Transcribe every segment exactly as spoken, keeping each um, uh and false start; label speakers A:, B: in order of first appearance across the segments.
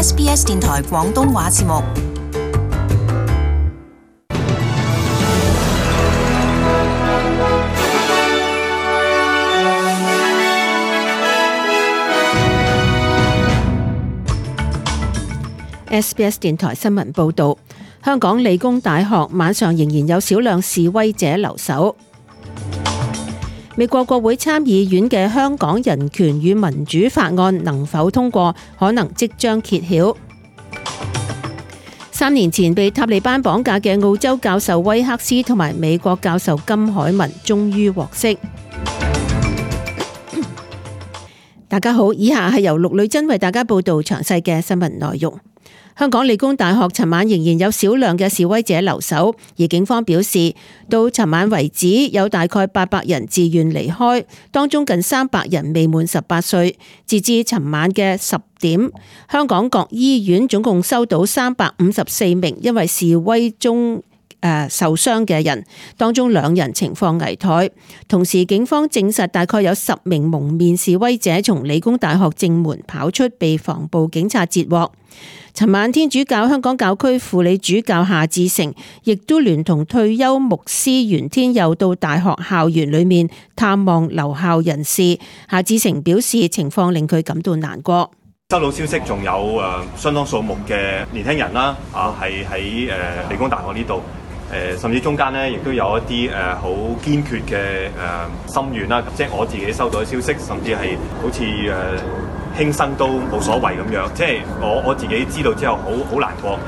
A: S B S 電台廣東話節目。
B: S B S 電台新聞報道，香港理工大學晚上仍然有少量示威者留守。美國國會參議院嘅香港人權與民主法案能否通過，可能即將揭曉。三年前被塔利班綁架嘅澳洲教授威克斯同埋美國教授金海文終於獲釋。大家好，以下係由陸女珍為大家報道詳細嘅新聞內容。香港理工大學尋晚仍然有少量嘅示威者留守，而警方表示，到尋晚為止有大概八百人自願離開，當中近三百人未滿十八歲。截至尋晚嘅十點，香港各醫院總共收到三百五十四名因為示威中誒受傷嘅人，當中兩人情況危殆。同時，警方證實大概有十名蒙面示威者從理工大學正門跑出，被防暴警察截獲。尋晚天主教香港教區輔理主教夏志誠亦都聯同退休牧師袁天佑到大學校園裏面探望留校人士。夏志誠表示情況令佢感到難過。
C: 收到消息，仲有誒相當數目嘅年輕人啦，啊係喺誒理工大學呢度，誒甚至中間咧亦都有一啲誒好堅決嘅誒心願啦，即係我自己收到嘅消息，甚至係好似誒。輕生都冇所謂咁樣，即係我我自己知道之後，好好難過。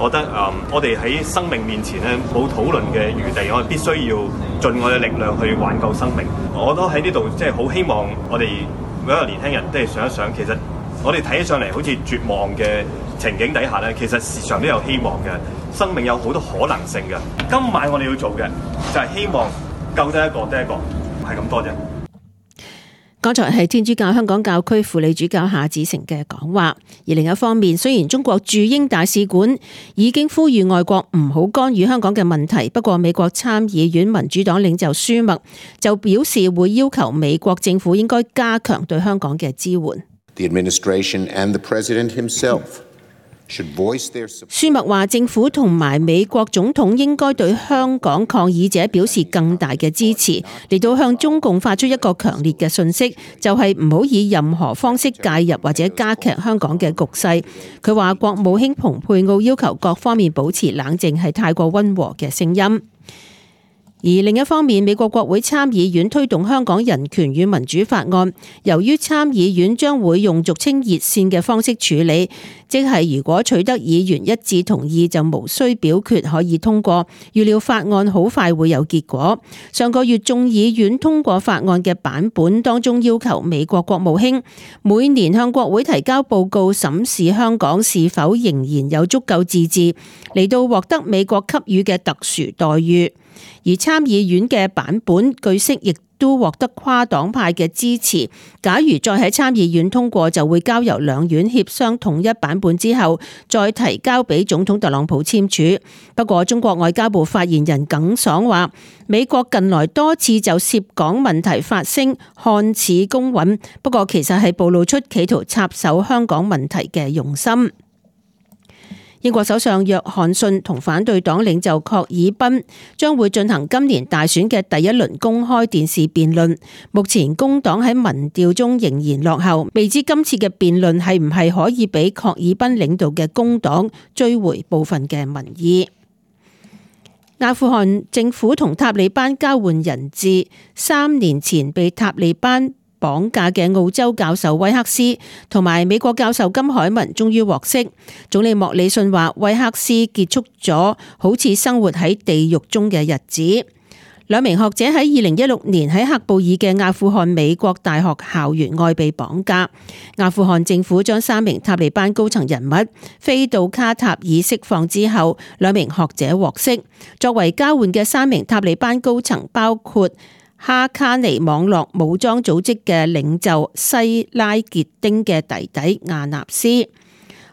C: 我覺得誒、嗯，我哋喺生命面前咧冇討論嘅餘地，我哋必須要盡我嘅力量去挽救生命。我都喺呢度即係好希望我哋每一個年輕人都係想一想，其實我哋睇起上嚟好似絕望嘅情景底下咧，其實時常都有希望嘅，生命有好多可能性嘅。今晚我哋要做嘅就係希望救得一個得一個，係咁多啫。
B: 剛才係天主教香港教區輔理主教夏志誠嘅講話。而另一方面，雖然中國駐英大使館已經呼籲外國唔好干預香港嘅問題，不過美國參議院民主黨領袖舒默就表示會要求美國政府應該加強對香港嘅支援。
D: The administration and the president himself
B: 舒默話政府同埋美國總統應該對香港抗議者表示更大嘅支持，嚟到向中共發出一個強烈嘅訊息，就係唔好以任何方式介入或者加劇香港嘅局勢。佢話國務卿蓬佩奧要求各方面保持冷靜係太過溫和嘅聲音。而另一方面，美國國會參議院推動香港人權與民主法案，由於參議院將會用俗稱熱線嘅方式處理，即係如果取得議員一致同意就無需表決可以通過，預料法案好快會有結果。上個月眾議院通過法案嘅版本當中要求美國國務卿每年向國會提交報告，審視香港是否仍然有足夠自治，嚟到獲得美國給予嘅特殊待遇。而參議院嘅版本據悉亦都獲得跨黨派嘅支持。假如再喺參議院通過，就會交由兩院協商統一版本之後，再提交俾總統特朗普簽署。不過，中國外交部發言人耿爽話，美國近來多次就涉港問題發聲，看似公允，不過其實係暴露出企圖插手香港問題嘅用心。英國首相約翰遜同反對黨領袖郝爾賓將會進行今年大選嘅第一輪公開電視辯論。目前工黨喺民調中仍然落後，未知今次嘅辯論係唔係可以俾郝爾賓領導嘅工黨追回部分嘅民意。阿富汗政府同塔利班交換人質，三年前被塔利班綁架嘅澳洲教授威克斯同埋美國教授金海文終於獲釋。總理莫里遜話，威克斯結束咗好似生活喺地獄中嘅日子。兩名學者喺二零一六年喺喀布爾嘅阿富汗美國大學校園外被綁架。阿富汗政府將三名塔利班高層人物飛到卡塔爾釋放之後，兩名學者獲釋。作為交換嘅三名塔利班高層包括哈卡尼網絡武裝組織嘅領袖西拉傑丁嘅弟弟亞納斯。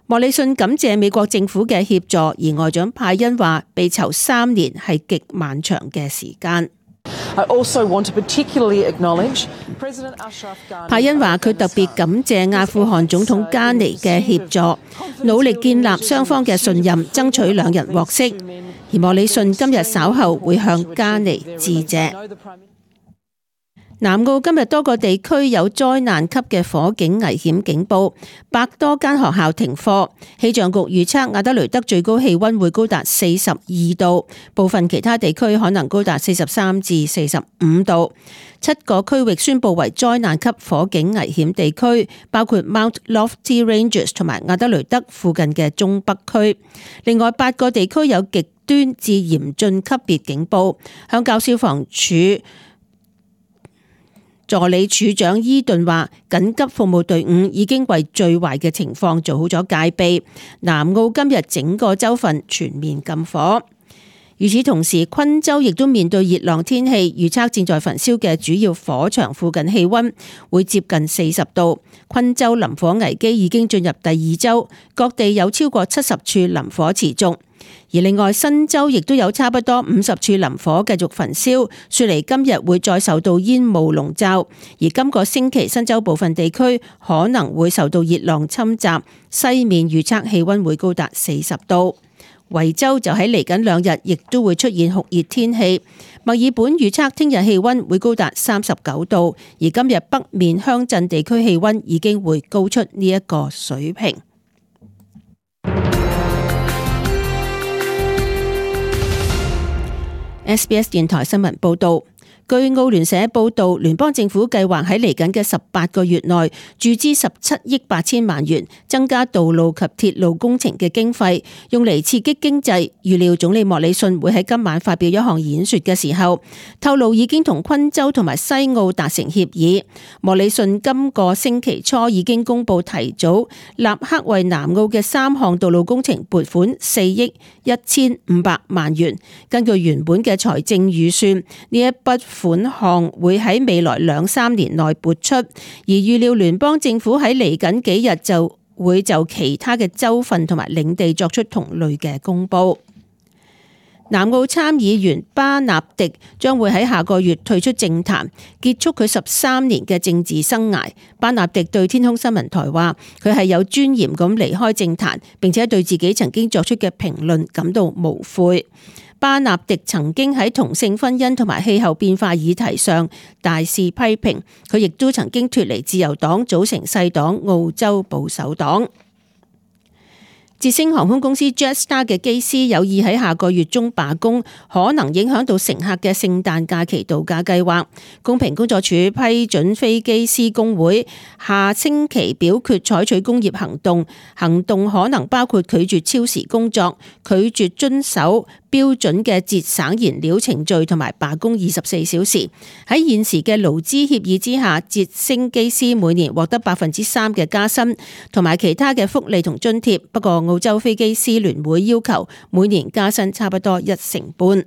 B: 莫里遜感謝美國政府嘅協助，而外長派恩話被囚三年係極漫長嘅時間。派恩話：佢特別感謝阿富汗總統加尼嘅協助，努力建立雙方嘅信任，爭取兩人獲釋。而莫里遜今日稍後會向加尼致謝。南澳今日多個地區有災難級嘅火警危險警報，百多間學校停課。氣象局預測亞德雷德最高氣溫會高達四十二度，部分其他地區可能高達四十三至四十五度。七個區域宣布為災難級火警危險地區，包括 Mount Lofty Ranges 同埋亞德雷德附近嘅中北區。另外八個地區有極端至嚴峻級別警報。鄉郊消防處助理處長伊頓話，緊急服務隊伍已經為最壞嘅情況做好咗戒備。南澳今日整個州份全面禁火。與此同時，昆州亦都面對熱浪天氣，預測正在焚燒嘅主要火場附近氣溫會接近四十度。昆州林火危機已經進入第二周，各地有超過七十處林火持續。而另外，新州亦都有差不多五十處林火繼續焚燒，雪梨今日會再受到煙霧籠罩。而今個星期，新州部分地區可能會受到熱浪侵襲，西面預測氣溫會高達四十度。維州就喺嚟緊兩日亦都會出現酷熱天氣。墨爾本預測聽日氣溫會高達三十九度，而今日北面鄉鎮地區氣溫已經會高出呢一個水平。S B S 電台新聞報道。據澳聯社報道，聯邦政府計劃喺嚟緊嘅十八個月內注資十七億八千萬元，增加道路及鐵路工程嘅經費，用嚟刺激經濟。預料總理莫里遜會喺今晚發表一項演說嘅時候，透露已經同昆州同埋西澳達成協議。莫里遜今個星期初已經公布提早立刻為南澳嘅三項道路工程撥款四億一千五百萬元。根據原本嘅財政預算，呢一筆款項會喺未來兩三年內撥出，而預料聯邦政府喺嚟緊幾日就會就其他嘅州份同埋領地作出同類嘅公布。南澳參議員巴納迪將會喺下個月退出政壇，結束佢十三年嘅政治生涯。巴納迪對天空新聞台話，佢係有尊嚴咁離開政壇，並且對自己曾經作出嘅評論感到無悔。巴納迪曾經喺同性婚姻同埋氣候變化議題上大肆批評，佢亦都曾經脫離自由黨，組成細黨澳洲保守黨。捷星航空公司 Jetstar 嘅機師有意喺下個月中罷工，可能影響到乘客嘅聖誕假期度假計劃。公平工作處批准飛機師工會下星期表決採取工業行動，行動可能包括拒絕超時工作、拒絕遵守標準嘅節省燃料程序同埋罷工二十四小時。喺現時嘅勞資協議之下，捷星機師每年獲得百分之三嘅加薪同埋其他嘅福利同津貼。不過澳洲飛機師聯會要求每年加薪差不多一成半。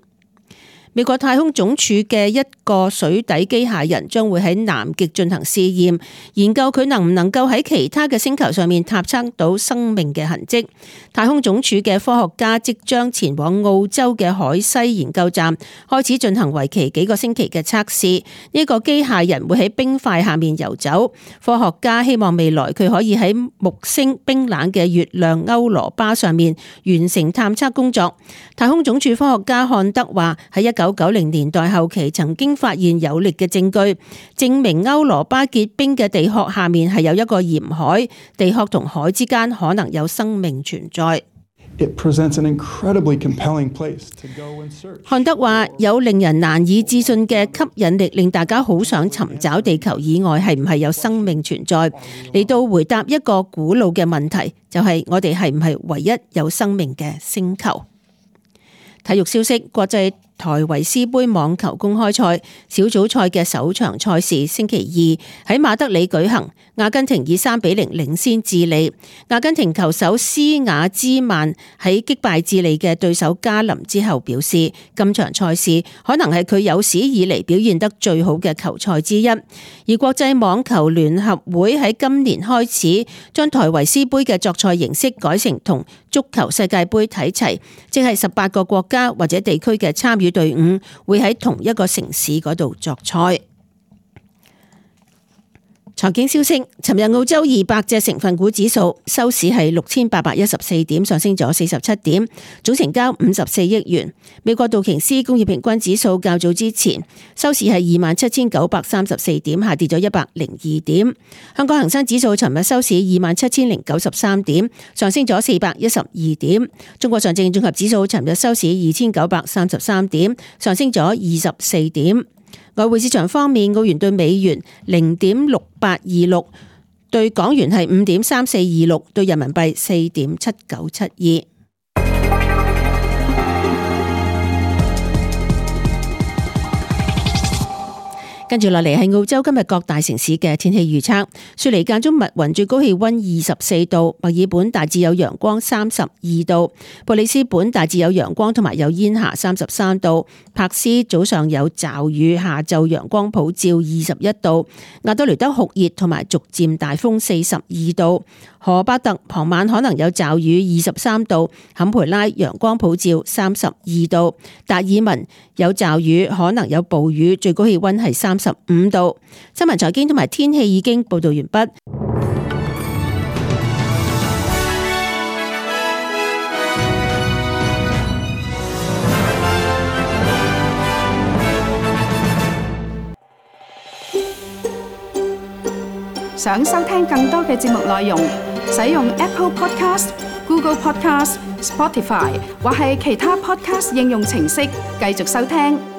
B: 美國太空總署嘅一個水底機械人將會喺南極進行試驗，研究佢能唔能夠喺其他嘅星球上面探測到生命嘅痕跡。太空總署嘅科學家即將前往澳洲嘅海西研究站，開始進行為期幾個星期嘅測試。呢個機械人會喺冰塊下面游走。科學家希望未來佢可以喺木星冰冷嘅月亮歐羅巴上面完成探測工作。太空總署科學家漢德話，喺一九九零年代後期曾經發現有力嘅證據，證明歐羅巴結冰嘅地殼下面係有一個鹽海，地殼同海之間可能有生命存在。漢德話，有令人難以置信嘅吸引力，令大家好想尋找地球以外係唔係有生命存在，嚟到回答一個古老嘅問題，就係我哋係唔係唯一有生命嘅星球。體育消息，國際台維斯杯網球公開賽小組賽嘅首場賽事星期二喺馬德里舉行，阿根廷以三比零領先智利。阿根廷球手斯瓦茲曼喺擊敗智利嘅對手加林之後表示，今場賽事可能係佢有史以嚟表現得最好嘅球賽之一。而國際網球聯合會喺今年開始將台維斯杯嘅作賽形式改成同足球世界杯睇齊，即係十八個國家或者地區嘅參與與隊伍會喺同一個城市嗰度作賽。財經消息，尋日澳洲二百隻成分股指數收市係六千八百一十四點，上升咗四十七點，總成交五十四億元。美國道瓊斯工業平均指數較早之前收市係二萬七千九百三十四點，下跌咗一百零二點。香港恒生指數尋日收市二萬七千零九十三點，上升咗四百一十二點。中國上證綜合指數尋日收市二千九百三十三點，上升咗二十四點。外匯市場方面，澳元兌美元零點六八二六，兌港元係五點三四二六，兌人民幣四點七九七二。跟住落嚟係澳洲今日各大城市嘅天氣預測。雪梨間中密雲，最高氣溫二十四度；墨爾本大致有陽光，三十二度；布里斯本大致有陽光同埋有煙霞，三十三度；柏斯早上有驟雨，下晝陽光普照，二十一度；亞多雷德酷熱同埋逐漸大風，四十二度；荷巴特傍晚可能有驟雨，二十三度；坎培拉陽光普照，三十二度；達爾文有驟雨，可能有暴雨，最高氣溫係三十五度。新聞財經同埋天氣已經報道完畢。
E: 想收聽更多嘅節目內容，使用 Apple Podcast、Google Podcast、Spotify 或係其他 Podcast 應用程式繼續收聽。